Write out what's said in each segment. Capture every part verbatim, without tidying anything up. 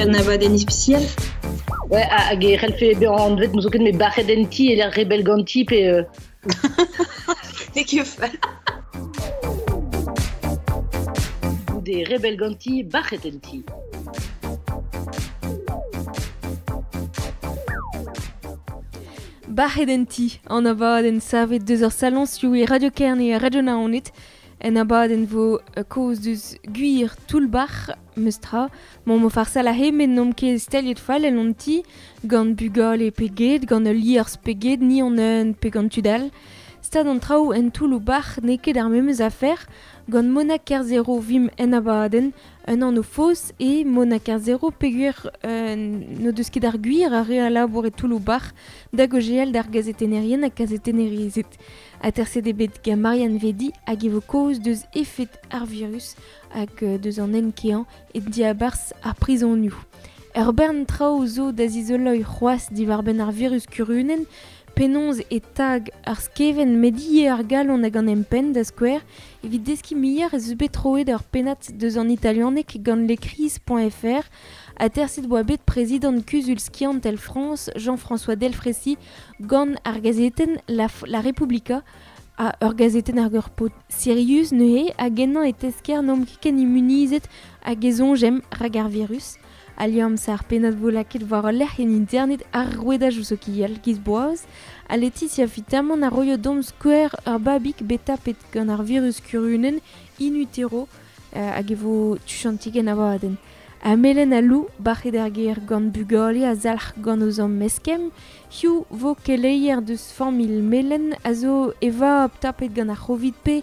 un abadenn ispisial. Ouais, hag e c'hellfe bezañ anvet n'eus ket met bac'het en ti e rebel ganti pe... Euh... N'eo ket fall. Goude rebel ganti, bac'het en ti. Bac'het en ti, an abadenn savet deus ur salon sioù e Radio Kerne e Radio Naoned. En abadenn vo kaoz deus gwir toull-bac'h meustra. Mon mo farsal a he met n'omp ket staliet fall en on ti, gant bugale pe get, gant ul liorzh pe get, ni an un pe gant tud all. Stad an traoù en toull-bac'h n'eo ket ar memes afer, gant Mona Kerzero vim en abadenn, un anv faos e Mona Kerzero peogwir euh, n'o deus ket ar gwir ar re a labour e toull-bac'h da gojeal d'ar gazetennerien ha gazetennerezed. Aterset eo bet gant Marianne Vedi hag e vo kaoz deus efed ar virus hag deus an enkeañ e diabarzh ar prizonioù. Ur bern traoù zo da zizoloiñ c'hoazh diwar-benn ar virus kurunenn, penaos e tag ar skeven met ivez ar galon hag an empenn da skouer evit deskiñ muioc'h ez eus bet troet ur pennad deus an italianeg gant lecrise.fr aterset oa bet prezidant kuzul skiantel Frañs Jean-François Delfraissy gant ar gazetenn La, La Repubblica a ur gazetenn ar ur paotr sirius neuze hag ennañ e tesker n'omp ket ken immunizet hag e soñjemp rak ar virus. A liamm ar pennad vo lakaet war ul lec'h en internet ar rouedajoù sokial giz boaz ha Laetitia Fitamant a roio deomp skouer ur babig bet tapet gant ar virus kurunenn in utero euh, hag e vo tuchantik en abadenn. Ha Melen ha Lou, bac'het ar gêr gant bugale a zalc'h gant o zamm meskem, hiziv vo keleier deus familh Melen a zo e vab tapet gant ar c'hovid pe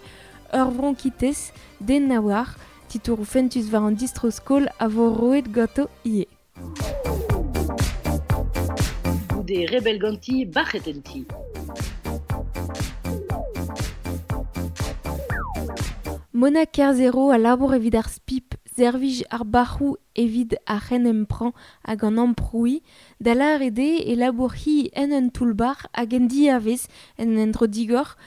ur vronkitez den na oar, titouroù fentus war an distro-skol a vo roet ganto ivez. Goude rebel ganti, bac'het en ti. Mona Kerzero a labour evit ar spip, servij ar bac'hoù evit ar c'henemprañ hag an amprouiñ, da lâret eo e labour hi en un toull-bac'h hag en diavez en endro digor,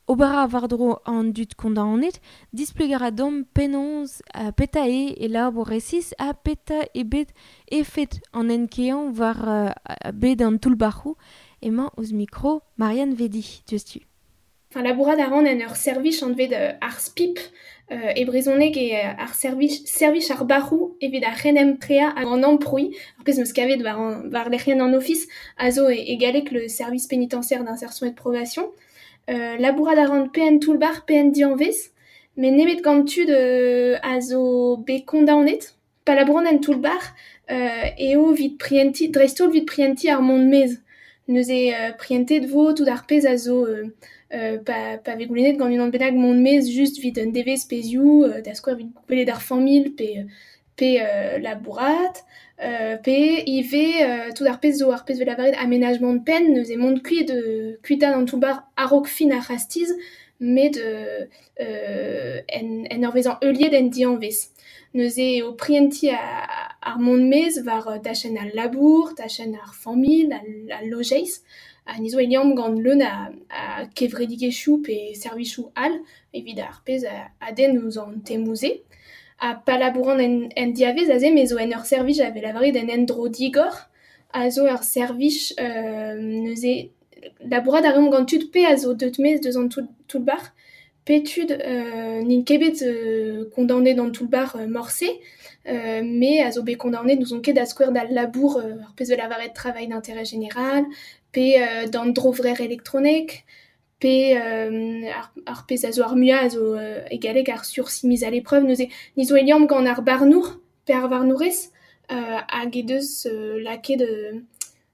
ober a war-dro an dud kondaonet, displegañ a deomp penaos petra eo e labour resis ha petra eo bet efed an enkeañ war uh, bed an toull-bac'hoù emañ ouzh mikro Marianne Vedi, diouzhtu. Enfin, labourat a ran en ur servij anvet euh, ar spip euh, e brezhoneg e ar servij, servij ar bac'hoù evit ar c'henempreañ hag an amprouiñ, ar pezh 'm eus kavet war, an, war lec'hienn an ofis, a zo e, e galleg le service pénitentiaire d'insertion et de probation. Euh, labourat a ran pe en toull-bac'h pe en dianvez, met nemet gant tud euh, a zo bet kondaonet. Pa labouran en toull-bac'h euh, eo evit prientiñ, dreist-holl evit prientiñ ar mont maez. Neuze euh, prientet vo tout ar pezh a zo euh, euh, pa, pa vez goulennet gant unan bennak mont maez just evit un devezh pezhioù, euh, da skouer evit gwelet ar familh pe, pe euh, labourat, euh, pe ivez euh, tout ar pezh zo ar pezh 'vez lavaret aménagement de peine, neuze mont kuit euh, kuitaat an toull-bac'h a-raok fin ar c'hastiz, met euh, euh, en, en ur vezañ heuliet en dianvez. Neuze eo prientiñ ar mont maez war tachenn al labour, tachenn ar familh, al, al lojeiz, ha ni zo e liamm gant leun a, a kevredigezhioù pe servijoù all evit ar pezh a, a denn ouzh an temoù-se. Ha pa labouran en, en diavez aze, me zo en ur servij a vez lavaret en endro digor, a zo ur servij euh, neuze labourat a reomp gant tud pe a zo deut maez deus an toull-bac'h, pe tud euh, n'int ket bet euh, kondaonet d'an toull-bac'h euh, morse, euh, mais a zo bet kondaonet n'ouzon ket da skouer d'al labour euh, ar pezh 'vez lavaret travail d'intérêt général, pe euh, d'an drovrer elektronek, pe euh, ar, ar pezh a zo ar muiañ a zo euh, e galleg ar sursis mise à l'épreuve, neuze ni zo e liamm gant ar barnour, pe ar varnourez, euh, hag he deus euh, lakaet euh,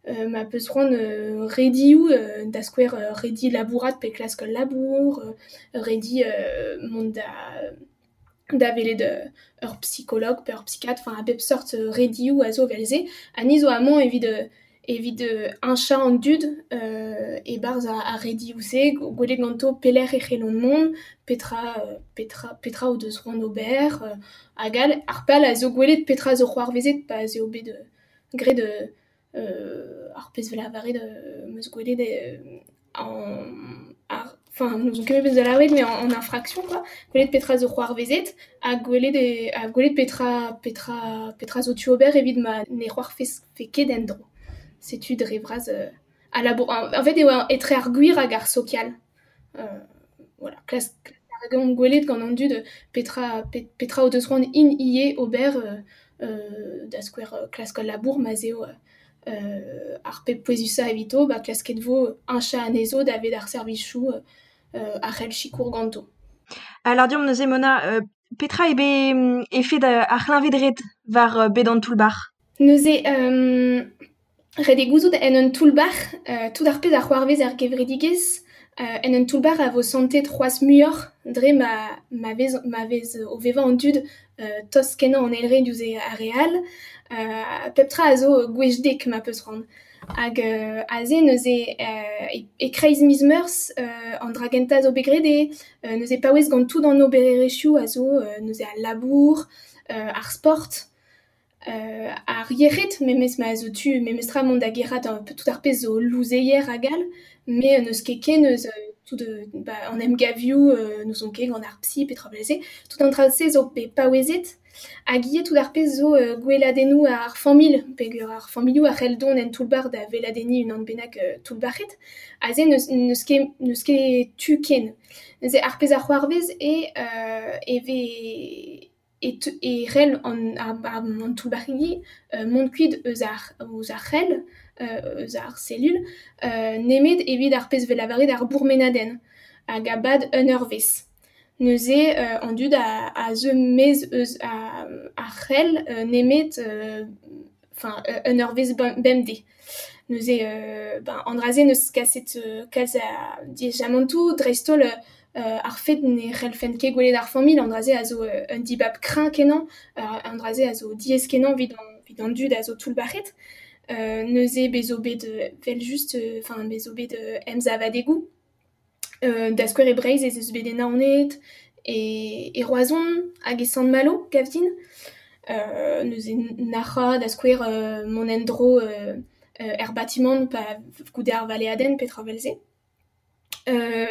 euh, ma peus c'hoant euh, redioù, euh, da skouer euh, redi labourat pe klask ul labour, euh, redi euh, mont da, da welet euh, ur psychologue pe ur psychiatre, enfin a bep seurt euh, redioù a zo evel-se, ha ni zo amañ evit euh, evit euh, heñchañ an dud euh, e-barzh ar redioù-se, gwelet ganto pelec'h e c'hellont mont, petra, euh, petra, petra o deus c'hoant ober, euh, hag all, ar pal a zo gwelet petra zo c'hoarvezet pa ez eo bet euh, graet euh, ar pezh 'vez lavaret euh, 'm eus gwelet euh, an, ar, Enfin, n'ouzon ket bet lavaret, mais en, en infraction, quoi. Gwelet petra zo c'hoarvezet, ha gwelet, e, ha gwelet petra, petra, petra zo tu ober evit ma ne c'hoarvez fe ket en-dro. Setu dre vras euh, a labour. En, en fait, eo etre ar gwir hag ar sokial. Euh, voilà, klas, klas ar gwelet gant an dud petra, pet, petra o deus c'hoant in ie ober euh, euh, da skouer klask al labour ma zeo euh, ar pep pouezusa evito, ba klasket vo un chat anezo da vet ar servichou euh, ar c'hell sikour ganto. Alors diom neuze Mona, euh, petra ebe efed ar c'hleñved-red war bed an toull-bac'h? Neuze, euh, ret eo gouzout en un toull-bac'h, euh, tout ar pezh a c'hoarvez ar gevredigezh, euh, en un toull-bac'h a vo santet c'hoazh muioc'h dre ma, ma vez, ma vez o vevañ an dud euh, tost kenañ an eil re diouzh ar re all, euh, pep tra a zo gwech dek ma peus c'hoant. Hag euh, aze neuze euh, e, e kreiz miz Meurzh euh, an dra gentañ zo bet graet eo, euh, neuze paouez gant tout an obererezhioù a zo euh, neuze al labour, euh, ar sport, euh, ar yec'hed memes ma zo tu memes tra mont da gerc'hat un peu tout ar pezh zo louzeier hag all, mais n'eus ket ken eus tout de, ba, an emgavioù, euh, n'ouzon ket gant ar psy petra bleze, tout an dra-se zo bet paouezet, hag ivez tout ar pezh zo euh, gweladennoù ar familh, peogwir ar familhoù a c'hell dont en toull-bac'h da weladenniñ unan bennak euh, toull-bac'het, aze n'eus, n'eus ket, n'eus ket tu ken. Neuze ar pezh a c'hoarvez e, euh, e vez e, te, e c'hell an, ar, ar, an toull-bac'hidi euh, mont kuit eus ar, eus ar c'hell, euh, eus ar cellule, euh, nemet evit ar pezh vel lavaret ar bourmenadenn, hag a-bad un eurvezh. Neuze euh, an dud a, a zeu maez eus a, ar c'hell euh, nemet enfin euh, un eurvezh bemdez. Neuze euh, ben, an dra-se n'eus kaset euh, kalz a diaezamantoù, dreist-holl euh, ar fet ne c'hellfen ket gwelet ar familh, an dra-se a zo euh, un dibab kreñv kenañ, euh, an dra-se a zo diaes kenañ evit an, evit an dud a zo toull-bac'het. Euh, neuze bez zo bet vel just, enfin bez zo bet emsavadegoù. Euh, da skouer e Breizh ez eus bet e Naoned, e, e Roazhon hag e Sant-Malo, gav din. Euh, neuze nac'ha da skouer euh, mont en-dro euh, euh, er batimant pa goude ar valeadenn petra vel-se. Euh,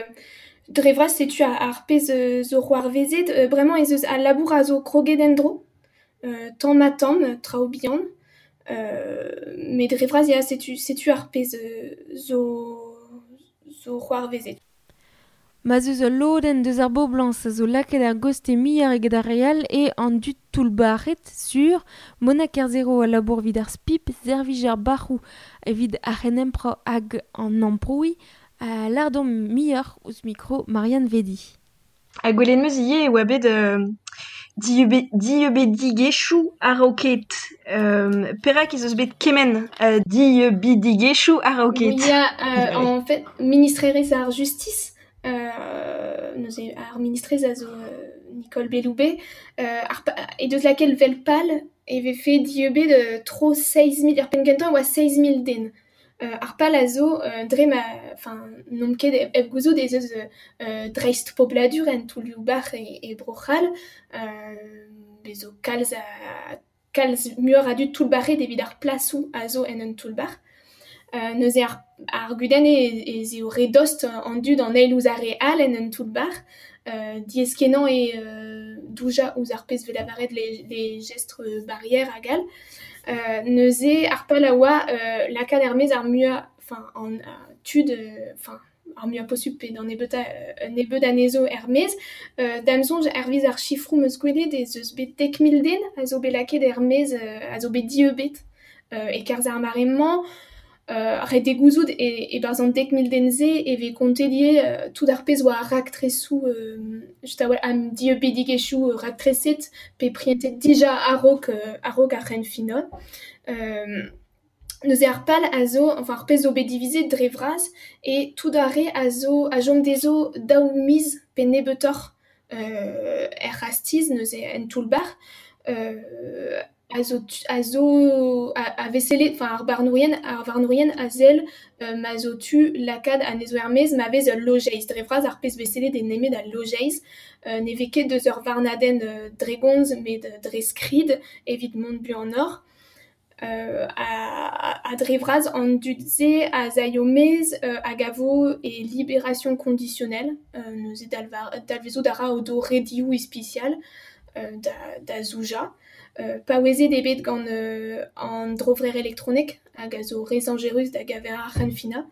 dre vras setu ar, ar pezh zo c'hoarvezet, euh, bremañ ez eus al labour a zo kroget en-dro, euh, tamm ha tamm, traoù bihan. Euh, met dre vras ya setu, setu ar pezh zo, zo c'hoarvezet. Ma zeus ul lodenn deus ar boblañs a zo lakaet ar goste muioc'h eget ar re all e an dud toull-bac'het sur Mona Kerzero a labour evit ar spip, servij ar bac'hoù evit ar c'henemprañ hag an amprouiñ, a lardon muioc'h ouzh mikro Marianne Vedi. Ha gwelet 'm eus ivez e oa bet euh, dieubidigezhioù a-raoket. Euh, perak ez eus bet kement euh, dieubidigezhioù a-raoket? Ya, euh, en fait, ministrerez ar justice, euh, neuze ar ministrez a zo euh, Nicole Belloubet, euh, ar pa, e deus lakaet vel pal e vefe dieubet euh, tro seizh mil, ar penn kentañ oa seizh mil den. Euh, ar pal a zo euh, dre ma, enfin, n'omp ket hep gouzout ez eus euh, dreist pobladur en toullioù-bac'h e, e Bro-C'hall, euh, bez zo kalz a, kalz muioc'h a dud toull-bac'het evit ar plasoù a zo en un toull-bac'h. Euh, neuze ar, ar gudenn eo ez eo re dost an dud an eil ouzh ar re all en un toull-bac'h, euh, diaes kenañ eo euh, doujañ ouzh ar pezh vel lavaret les, les gestes barrières hag all. Euh, neuze ar pal a oa euh, lakaat er-maez ar muiañ, enfin, an uh, tud, enfin, ar muiañ posupl pe d'an nebeutañ euh, nebeut anezho er-maez. Euh, da'm soñj hervez ar sifroù 'm eus gwelet ez eus bet dek mil den a zo bet lakaet er-maez, euh, a zo bet dieubet euh, e-kerzh ar mare-mañ. Euh, ret eo gouzout e, e-barzh an dek mil den-se e vez kontet ivez euh, tout ar pezh oa ar raktresoù euh, just a-walc'h an dieubidigezhioù raktreset pe prientet dija a-raok euh, a-raok ar c'henfinal. Euh, neuze ar pal a zo, enfin ar pezh zo bet divizet dre vras e tout ar re a zo a chom dezho daou miz pe nebeutoc'h euh, er c'hastiz neuze en toull-bac'h, euh, a zo, a zo a, a veselet, enfin ar barnourien, ar varnourien a sell euh, ma zo tu lakaat anezho er-maez ma vez ul lojeiz. Dre vras ar pezh veselet e nemet al lojeiz, euh, ne vez ket deus ur varnadenn euh, dre gomz met dre skrid evit mont buanoc'h. Euh, a, a dre vras an dud-se a zaio mez euh, hag a vo e libération conditionnelle euh, neuze dalvar, dalvezout a ra o do redioù ispisial euh, da, da zouja. Euh, paouezet eo bet gant euh, an drovrer elektronek hag a zo re zañjerus da gaver ar c'henfinañ.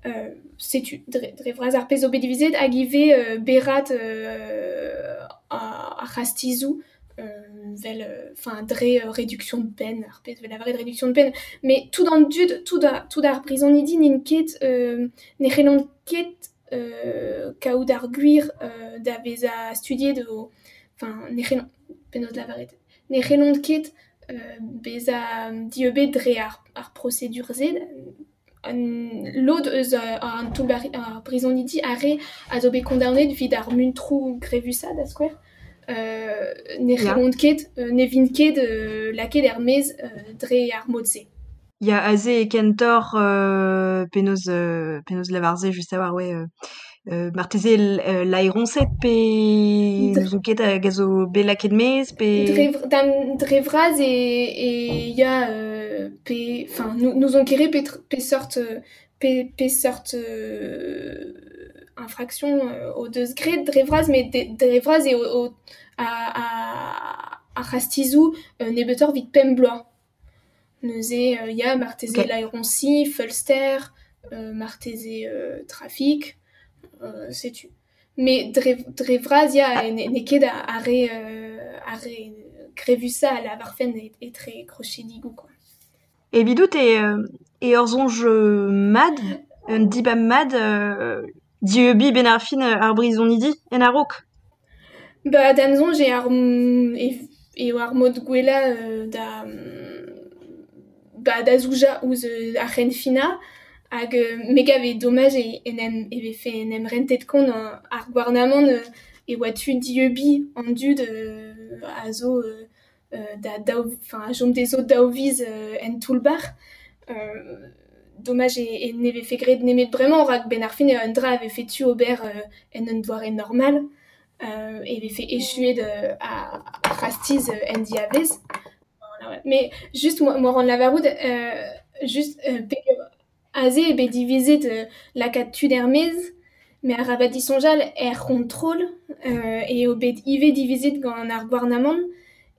Euh, setu, dre, dre vras ar pezh zo bet divizet hag ivez euh, berat euh, ar c'hastizoù euh, vel, enfin, dre euh, réduction de peine, ar pezh vel lavaret réduction de peine, mais tout an dud, tout ar, tout ar brizonidi n'int ket, euh, ne c'hellont ket euh, kaout ar gwir euh, da vezañ studiet o, enfin, ne c'hellont, penaos lavaret, ne c'hellont ket euh, bezañ dieubet dre ar, ar procédure-se, an lod eus an toull-bac'h ar brizonidi ar re a zo bet kondaonet evit ar muntroù grevusañ da skouer. Euh, ne c'hellont ket, euh, ne vint ket euh, lakaet er-maez euh, dre ar mod-se. Ya aze e kentoc'h euh, penaos, euh, penaos lavar-se just a-walc'h, ouais, euh, euh, marteze euh, laeroñsed pe n'ouzon ket hag a zo bet lakaet maez pe... Dre, dam, dre vras e, e ya euh, pe... Enfin, n'ouzon ket re pe, pe sort, pe, pe sort euh, infraction euh, o deus graet dre vras, met dre vras eo o, a, a, ar c'hastizoù euh, nebeutoc'h evit pemp bloaz. Neuze euh, ya marteze okay. Laeroñsi, feulster, euh, marteze euh, trafik, euh, setu. Mais dre, dre vras ya ah. n'eo ket ar re, euh, ar re grevusañ a lavarfen etre krochedigoù quoi. Evidout e, e ur soñj mat, un dibab mat, euh, dieubiñ ben ar fin ar brizonidi en a-raok. Ba da'm soñj eo ar, eo ar mod gwellañ euh, da, ba, da zoujañ ouzh ar c'henfinañ hag me gav eo domaj e, en em, e vefe en em rentet kont ar gouarnamant e oa tu dieubiñ an dud euh, a zo euh, da daou, enfin, a chom dezho daou viz euh, en toull-bac'h. Euh, domaj e, e ne vefe graet nemet bremañ rak ben ar fin eo un dra a vefe tu ober euh, en un doare normal euh, e vefe echuet euh, a, a c'hastiz euh, en diavez. Voilà, ouais. Mais juste moi, moi rend lavarout euh, juste euh, peogwir aze eo bet divizet euh, lakaat tud er-maez, met arabat disoñjal er c'hontrol euh, eo bet ivez divizet gant ar gouarnamant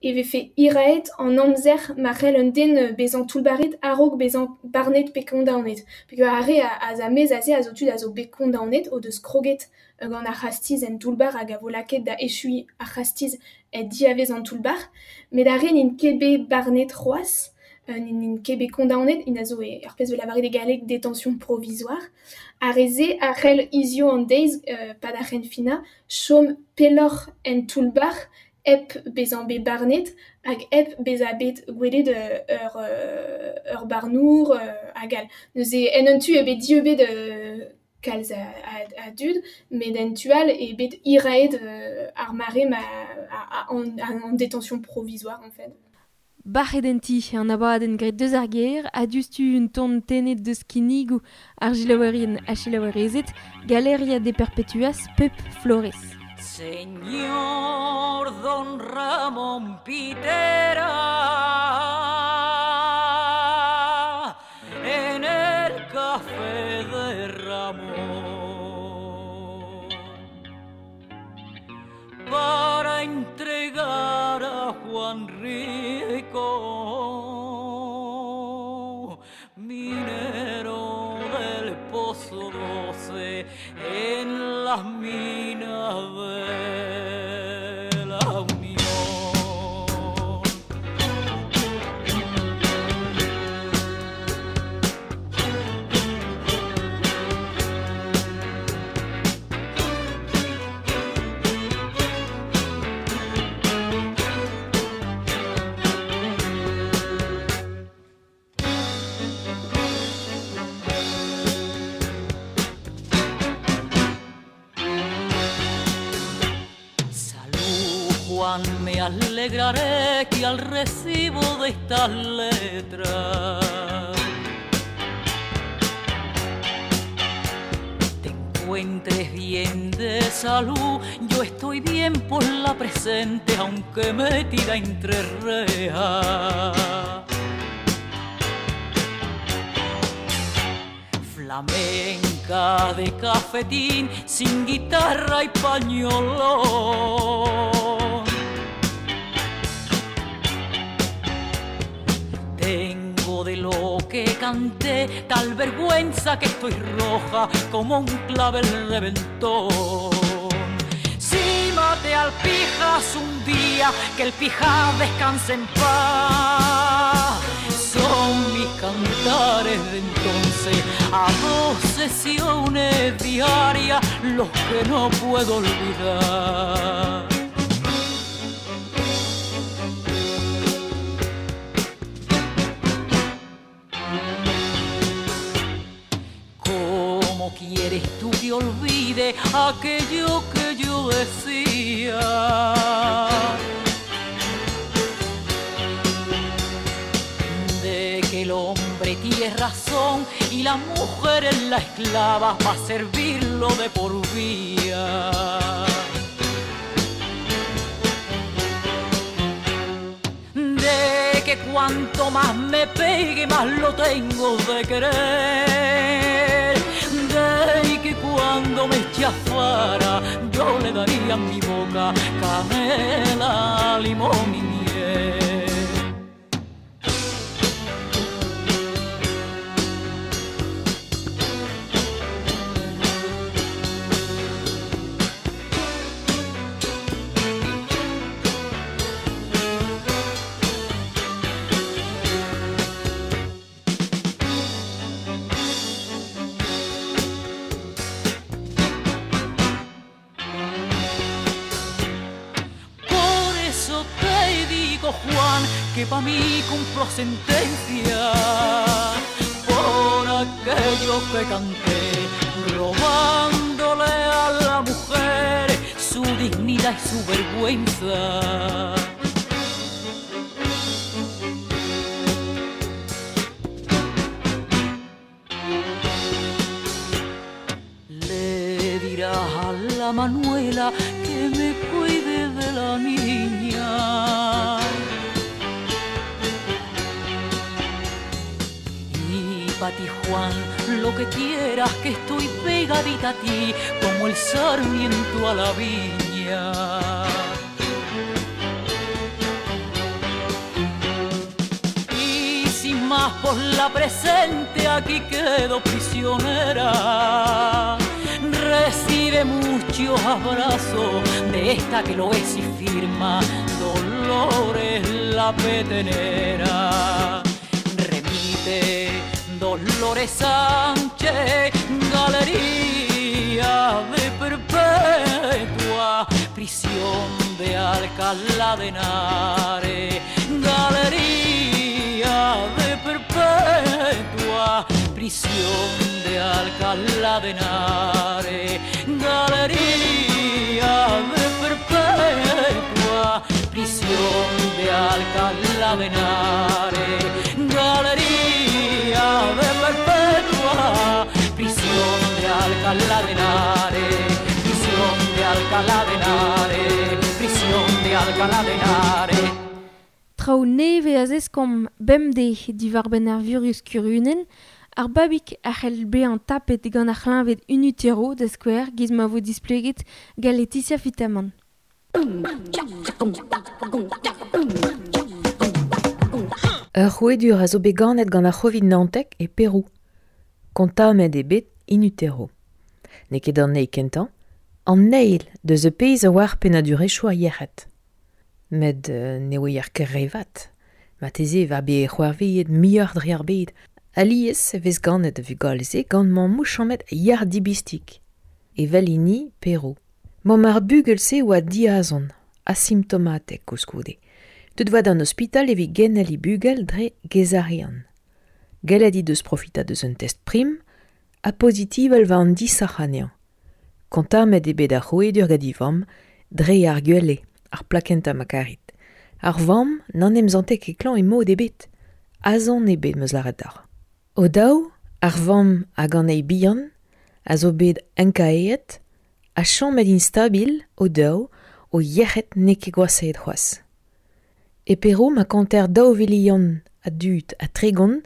e vefe hiraet an amzer ma c'hell un den bezañ toullbac'het a-raok bezañ barnet pe kondaonet. Peogwir ar re a, a mez aze a zo tud a zo bet kondaonet o deus kroget gant ar c'hastiz en toull-bac'h hag a vo lakaet da echuiñ ar c'hastiz e diavez an toull-bac'h, met ar re n'int ket bet barnet c'hoazh, euh, n'int ket bet kondaonet, int a zo e, ar pezh vo lavaret e galleg détention provisoire. Ar re-se a c'hell hiziv an deiz, euh, pad ar c'henfinañ, chom pelloc'h en toull-bac'h hep bezañ bet barnet hag hep bezañ bet gwelet ur, ur barnour hag all. Neuze en un tu eo bet dieubet euh, kalz a, a, a dud, met en tu all eo bet hiraet euh, ar mare ma, a, a, en, en détention provisoire en fait. Bac'het en ti, an abadenn graet deus ar gêr, ha diouzhtu un ton tennet deus kinnigoù ar selaouerien ha selaouerezed, Galeria de Perpetuas Pep Flores. Señor Don Ramón Pitera, en el café de Ramón, para entregar a Juan Rico, minero del Pozo doce, en las minas de la Unión. Me alegraré que al recibo de estas letras te encuentres bien de salud. Yo estoy bien por la presente, aunque metida entre rejas. Flamenca de cafetín, sin guitarra y pañolón. Tengo de lo que canté tal vergüenza que estoy roja como un clavel reventón. Si mate al pijas un día, que el pija descanse en paz. Son mis cantares de entonces, a dos sesiones diarias, los que no puedo olvidar. ¿Cómo quieres tú que olvide aquello que yo decía? De que el hombre tiene razón y la mujer es la esclava pa' servirlo de por vía. De que cuanto más me pegue, más lo tengo de querer. De que cuando me chafara, yo le daría en mi boca canela, limón y miel. Juan, que pa' mí cumplo sentencia por aquello que canté, robándole a la mujer su dignidad y su vergüenza. Le dirás a la Manuela que me cuide de la niña. Pa' ti, Juan, lo que quieras, que estoy pegadita a ti como el sarmiento a la viña. Y sin más por la presente, aquí quedo prisionera. Recibe muchos abrazos de esta que lo es y firma Dolores la Petenera. Remite Dolores Sánchez, galería de perpetua, prisión de Alcalá de Henares, galería de perpetua, prisión de Alcalá de Henares, galería de perpetua, prisión de Alcalá de Henares, galería de perpetua, prisión de Alcalá de Henares, prisión de Alcalá de Henares, prisión de Alcalá de Henares. Traoù neve a zeskomp bemdez diwar-benn ar virus kurunen, ar babig a c'hell bezañ tapet gant ar c'hleñved in utero da skouer giz ma vo displeget gant Laetitia Fitamant. Ur c'houedur a zo bet ganet gant ar c'hovid naontek e Perou. Kontamet eo bet in utero. N'eo ket an eil kentañ, an eil deus e pezh a oar pennadurezhioù ar yec'hed. Met euh, ne oer ket re vat. Marteze war bet c'hoarvezet muioc'h dre ar bed. Alies e vez ganet a vugale-se gant mammoù chomet yar dibistik. Evel hini Perou. Mamm ar bugel-se oa diazon, asimptomatek koulskoude. Deut oa d'an ospital evit genel he bugel dre gezarian. Gellet he deus profita deus un test prim, ha pozitivel war an disoc'h anezhañ. Kontamet eo bet ar c'hrouedur gant he vamm dre ar gwele, ar plakentañ ma karit. Ar vamm n'an em zante ket klañv e mod ebet. Azon eo bet meus lâret deoc'h. O daou, ar vamm hag an eil bihan a zo bet enkaeet ha chomet instabil o daou o yec'hed n'eo ket gwashaet c'hoazh. E Perou ma konter daou vilion a dud ha tregont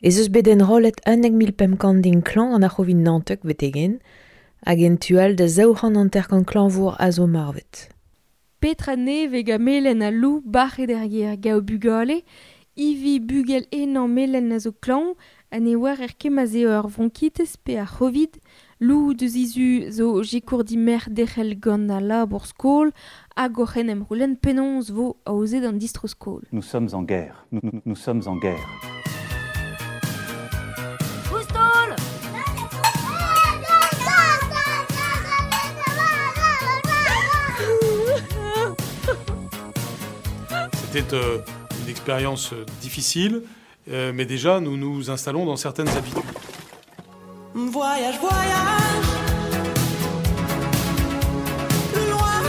Ez eus bet enrollet unnek mil pemp kant din klañv an ar c'hovid naontek betegen, hag en tu all da zaou c'hant hanter-kant klañvour a zo marvet. Petra nevez ga melen a lou bac'het er ger gao bugale, ivi bugel enañ melen a zo klañv, ha ne oar er ket ma 'z eo ur vronkitez pe ar c'hovid, lou deus izu zo sikour dimerc'h derc'hel gant al labour skol hag oc'h en em c'houlenn penaos vo aozet an distro-skol. Nous sommes en guerre. Nous, nous, nous sommes en guerre. C'était euh, une expérience difficile, euh, mais déjà nous nous installons dans certaines habitudes. Voyage, voyage, loin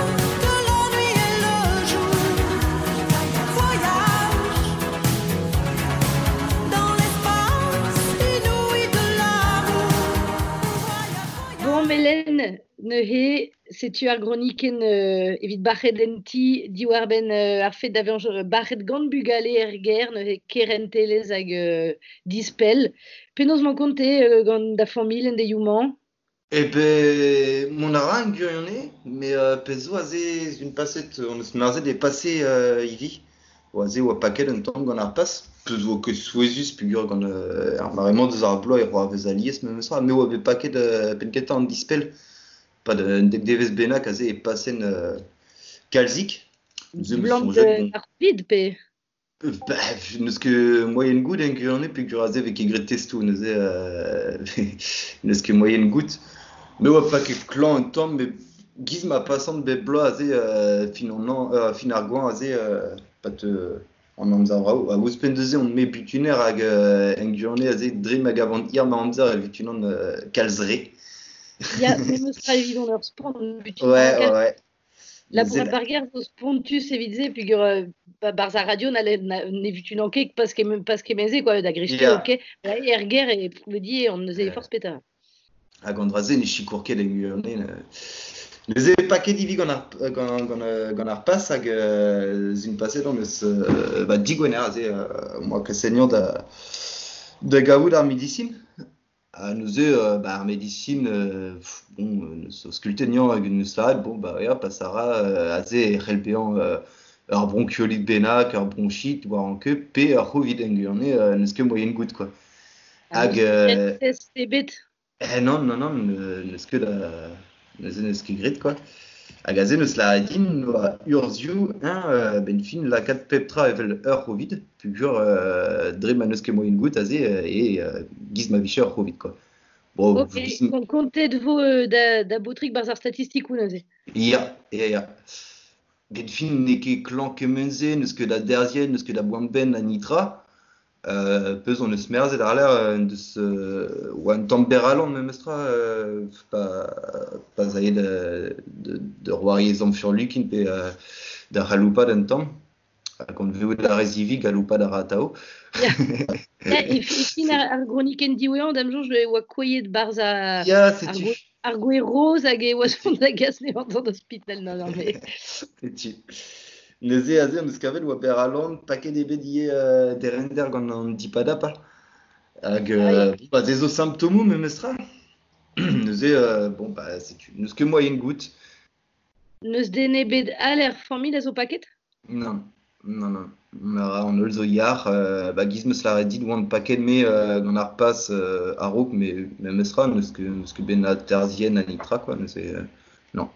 de la nuit et le jour. Voyage dans l'espace inouï de l'amour. Bon, Melen, neuze, setu ar groniken euh, evit bac'het en ti diwar ben euh, ar fet da vezañ bac'het gant bugale er ger, neuze kerentelezh hag euh, dispell. Penaos mañ konte euh, gant da familh en deioù-mañ? Eh ben, mon a ra un gwirionez, mais euh, pezh zo aze un paset, on eus merzet e pase euh, ivi. O aze oa paket un tamm gant ar pas, peus oa ket souezhus peogwir gant euh, ar mare-mañ deus ar bloaz e roa vez alies memes tra, mais oa bet paket euh, penn-kentañ an dispell. Pa de, un dek devezh bennak aze e pasen euh, kalzik. Neuze 'meus Blant soñjet, euh, bon, ar vid pe? Euh, bah, n'eus ket moyen goût en gwirionez peogwir aze vez ket graet testoù neuze euh, n'eus ket moyen goût. Me oa paket klañv un tamm, met giz ma pasan bep bloaz aze euh, fin an an, euh, fin ar goañv aze euh, pat euh, an amzer vrav. Hag ouzhpenn neuze on me butuner hag euh, en gwirionez aze dre ma gavan hir ma amzer e vutunan euh, kalz re. Ya, memes tra evit on ur spont butunan Ouais, ouais, kalz. ouais. Labourat Neuze ar ger zo spontus evit se peogwir euh, ba barzh ar radio n'halle na ne vutunan ket pas ket pas kement-se quoi, da greskiñ Ya. ok. Ouais, er ger e di on neuze Ouais. forzh petra. Hag an dra-se ne sikour ket en gwirionez. Neuze paket ivi gant ar, gant, gant, euh, gant ar pas hag euh, zun paset on eus euh, ba digwener aze euh, moa ket da, da gavout ar medisin. Ha neuze euh, ba ar medisin euh, pff, bon, euh, neus auscultet nian hag neus lâret, bon ba ya pas a ra euh, aze e c'hell bezañ euh, ur bronchiolite bennak, ur bronchite, war an ket, pe ur c'hovid en gwirionez euh, n'eus ket moyen goût quoi. Ha Hag n'eus ket euh, test ebet? Eh non, non, non, ne- n'eus ket da... neuze n'eus ket graet quoi. Hag aze neus lâret din oa urzhioù hein, euh, ben fin lakaat pep tra evel ur c'hovid, peogwir euh, dre ma n'eus ket moyen goût aze euh, e euh, giz ma vije ur c'hovid quoi. Bon, Ok, giz... kon kontet vo euh, da, da baotrig barzh ar statistikoù neuze. Ya, ya, ya. Ben fin n'eo ket klañv kement-se, n'eus ket da derzhienn, n'eus ket da boan-benn na nitra. Euh, peus on eus merzet ar l'air euh, deus euh, oa un tamm berr-alan memes tra euh, pa, pa zae de, de, de roari ezhomm furlukin pe euh, da c'haloupat un tamm. Hag on vezout ar rezivi galoupat ar atao. Ya, ya e, e fin ar, ar gronikenn diwezhañ da'm soñj e oa koiet barzh ar, Ya, ar, setu. gwe, ar gwe roz hag e oa zont da gas nevañ d'an ospital. Non, non, mais... Setu. Neuze aze on eus kavet oa berr-alan paket ebet ivez euh, derender gant an dipadapa. Hag Ah, ya. euh, bon, ba, se zo simptomoù memes tra. Neuze, euh, bon, bah, setu. N'eus ket moyen goût. N'eus den ebet all er familh a zo paket? Non, non, non. On a an holl zo yar, euh, ba, giz 'meus lâret dit oan paket me euh, gant ar pas euh, a-raok, mais memes tra, n'eus ket, n'eus ket ben na terzhienn na nitra, quoi, neuze, euh, non.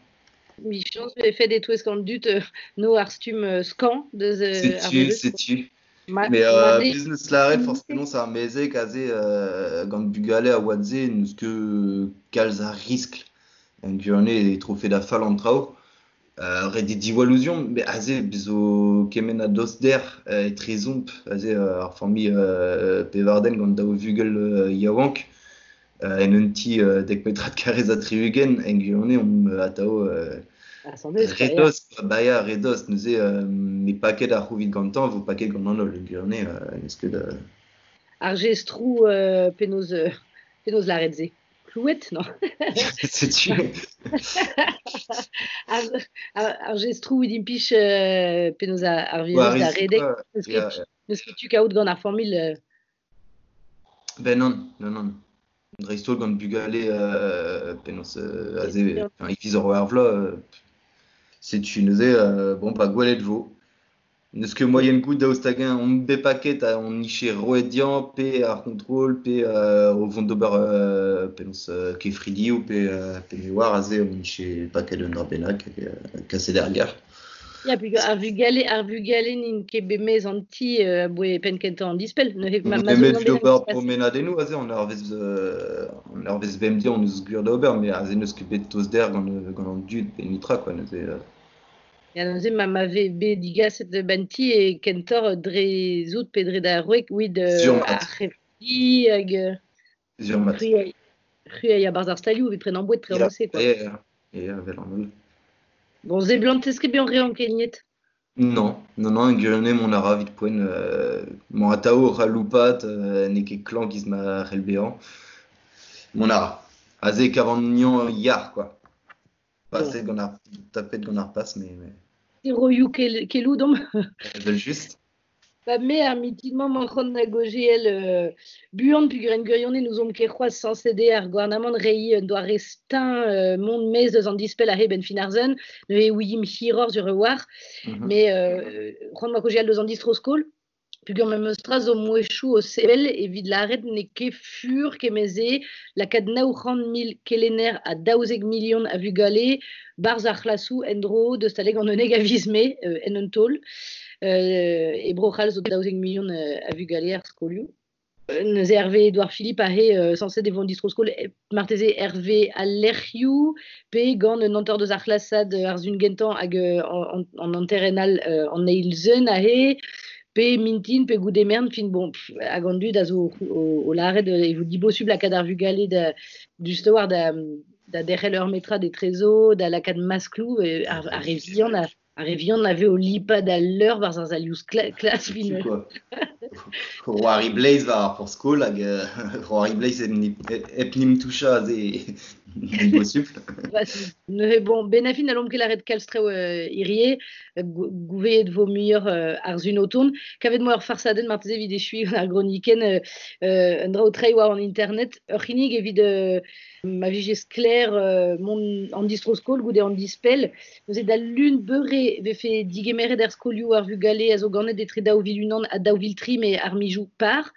Michañs vefe detouez gant dud euh, no ar stumm euh, skañv deus euh, ar Setu, virus. setu. Ma, Mais ma euh, de... biz 'meus lâret forcément ar mezeg aze euh, gant bugale a oad-se n'eus ket kalz a riskl. En gwirionez e trofe da fall an traoù. Euh, ret eo diwall ouzhomp, met aze bez zo kement a doster euh, etrezomp, aze euh, ar familh euh, pevardenn gant daou vugel euh, yaouank, euh, en un ti euh, dek metrad karrez ha tri-ugent, en gwirionez omp euh, atao euh, Ah, sans deus, quoi, ya. redoz, quoi, ba ya, redoz, neuze euh, me paket ar c'hovid gantañ vo paket gant an holl, en gwirionez euh, n'eus ket euh, Ar jestroù euh, penaos, euh, penaos lâret se. Klouet, non? Setu. Ar, ar, ar jestroù evit impich euh, penaos ar, ar War virus da riskl, redek. quoi. N'eus Ya, ket, n'eus ket tu kaout gant ar familh euh, Ben non, non, non. Dreist-holl gant bugale euh, penaos euh, aze, enfin, e viz ur ar vloaz, euh, setu neuze, euh, bon, ba gwelet vo. N'eus ket moaien goût daoust hag-eñ on bet paket ha on niche roet diañ, pe ar contrôle, pe euh, o vont d'ober euh, penaos euh, kefridi ou pe, euh, pe me oar aze on niche paket un dra bennak hag euh, kaset ar gar. Ya, puisque ar vugale, ar vugale n'int ket bet mez an ti euh, aboe penn kentañ an dispell. Neuze ma, ma Nemet zo evit gant ober bezañ promenadennoù aze, on ar vez, euh, on ar vez bemdez on eus gwir d'ober, mais aze n'eus ket bet tost-der gant, gant an dud pe nitra, quoi, neuze... Euh... Ya, neuze ma, ma ve bet digaset ban ti e kentoc'h dre zout pe dre da roek ouid euh, Sur mat. ar c'hefridi hag... euh, Sur mat. C'hwi c'hwi a barzh ar stalioù evit prenañ boued tre Ya, an quoi. ya, ya, vel an holl. Bon, ze blant ez ket bet an re ankeniet. Non, non, non, gwirionez mont a ra evit poent, euh, mont atao oc'h aloupat, euh, n'eo ket klañv giz ma c'hell bezañ. Mont a ra. Aze e kavan niañ yar, quoi. Paset gant ar, tapet gant ar pas, mais... mais... Roioù kel, kelou dom. Evel just. Ba me ar mitin-mañ mañ c'hoant da gojeal euh, buan pugur en gwirionez nous omp ket c'hoazh sañset eo ar gouarnamant reiñ un doare stein euh, mont maez eus an dispell a-heb en fin ar zen, neuze ouiimp hiroc'h sur e war, Mhm. mais euh, c'hoant ma gojeal deus an distro-skol, pugur memes tra zo mouezhioù o sevel evit lâret n'eo ket fur kemeze lakaat nav c'hant mil kelenner ha daouzek milion a vugale barzh ar c'hlasoù en-dro deus taleg an unnek a viz mae, euh, en un taol. Euh, e Bro-C'hall zo daouzek milion euh, a vugale ar skolioù. Euh, neuze Hervé Édouard Philippe ahe euh, sañset e vo an distro-skol, e, marteze Hervé al lec'hioù pe gant un hanter deus ar c'hlasad ar zun gentañ hag, euh, an, an hanterenn all, euh, an eil zun ahe, pe mintin, pe goude mern, fin bon, pff, hag an dud a zo o, o lâret, euh, e vo dibosubl lakaat ar vugale da, just war da, da derc'hel ur metrad e trezo, da lakaat masklou, e, ar, ar re vihan a, ar re vihan a ve o lipat al leur barzh ar salioù skla-, klas fin. Quoi. Roari Blaze war ar porzh-skol hag, euh, Roari Blaze hep nim, hep nim toucha aze dibosubl. Ba, neuze, bon, ben a fin a lomp ket lâret kalz traoù, euh, hirie, gou-, gouveet vo muioc'h, euh, ar zun o tont. Kavet moa ur farsadenn marteze evit echuiñ gant ar gronikenn, euh, euh, un dra o treiñ war an internet, ur c'hinnig evit, euh, ma vije sklaer, euh, mont an distro-skol goude an dispell. Neuze da lun beure vefe digemeret er skolioù ar vugale a zo ganet etre daou vil unan ha daou vil tri, me ar mijoù par.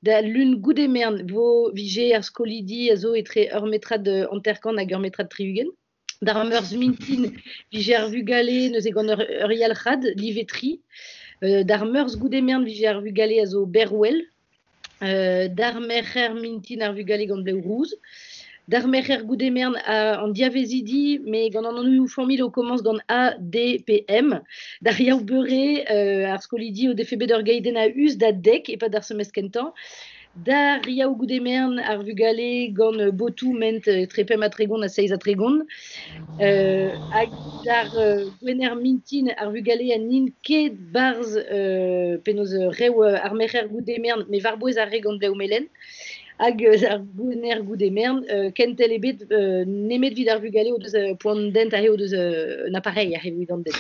Da lun goude mern vo vije ar skolidi a zo etre ur metrad hanter-kant hag ur metrad tri-ugent. D'ar meurzh mintin vije ar vugale neuze gant ur, ur yalc'had live tri. Euh, d'ar meurzh goude mern vije ar vugale a zo berwel. Euh, d'ar merc'her mintin ar vugale gant blev rouz. D'ar merc'her goude mern a, an diavezidi, me gant an anvioù familh o komañs gant A, D, P, M. D'ar yaou beure, euh, ar skolidi o defe bet ur gaidenn a us da dek e-pad ar semestr kentañ. D'ar yaou goude mern ar vugale gant, euh, botoù ment, euh, etre pemp ha tregont ha seizh ha tregont. Euh, hag d'ar, euh, gwener mintin ar vugale a n'int ket barzh, euh, penaos, euh, rev, euh, ar merc'her goude mern, me war-bouez ar re gant blev melen. Hag, euh, ar gwener goude mern, euh, kentel ebet, euh, nemet vid ar vugale o deus, euh, poan dent aze o deus, euh, un appareil aze evit an dent.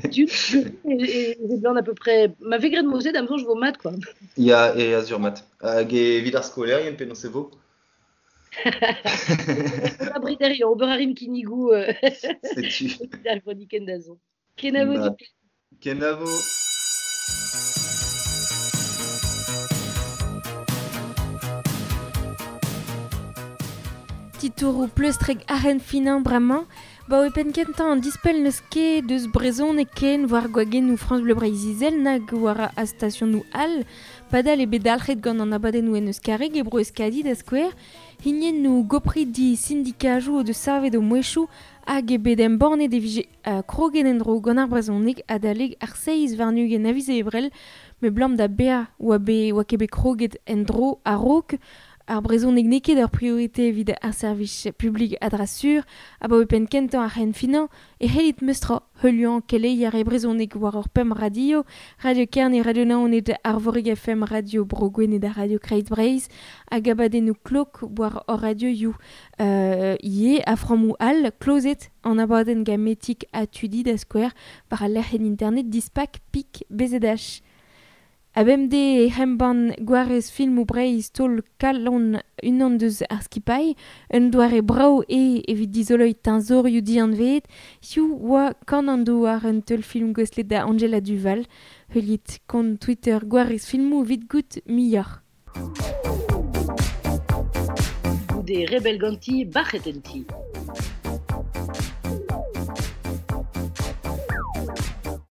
Tu, tu, et, et, et blanc à peu près. Ma ve graet mozet, am soñj vo mat, quoi. Ya, e azur mat. Hag evit ar skolaerien, penaos e vo? Ober brederion, ober a rim kinnigoù, euh, Setu. evit ar gronikenn da zont. Kenavo Ba, dit. Kenavo. Titouroù pleustrek arren finañ bremañ, ba oe penn kentañ an dispell n'eus ket deus brezhoneg ken war gwagennoù France Bleu Breizh Izel nag war a stasionoù all, padal eo bet dalc'het gant an abadennoù en Euskareg e bro Euskadi da skouer, hiniennoù gopridi sindikajoù o deus savet o mouezhioù hag eo bet embannet e vije, euh, kroget en-dro gant ar brezhoneg adalek ar seizh warn-ugent a viz Ebrel, me blam da bezañ oa bet, oa ket bet kroget en-dro a-raok. Ar brezhoneg n'eo ket ur priorite evit ar servij publik a dra sur, abaoe penn kentañ ar c'henn finañ, e c'hellit meustra heuliañ keleier e brezhoneg war ur pemp radio, Radio Kerne, Radio Naoned, Arvorig F M, Radio Bro Gwened ha Radio Kreiz Breizh, hag abadennoù klok war hor radioioù, euh, ivez a frammoù all, klozet an abadenn gametik ha tudi da skouer war al lec'hienn internet dispak pik B Z H. A bemde e hemban gwarez filmou Breizh tol kalon unan deus ar skipailh, un doare brao e evit dizoloi teñzorioù dianveet, hiziv oa kan an douar un teul film gouestlet da Angela Duval, heuliit kont Twitter gwarez filmoù evit goût muioc'h. Goude rebel ganti, bac'het en ti.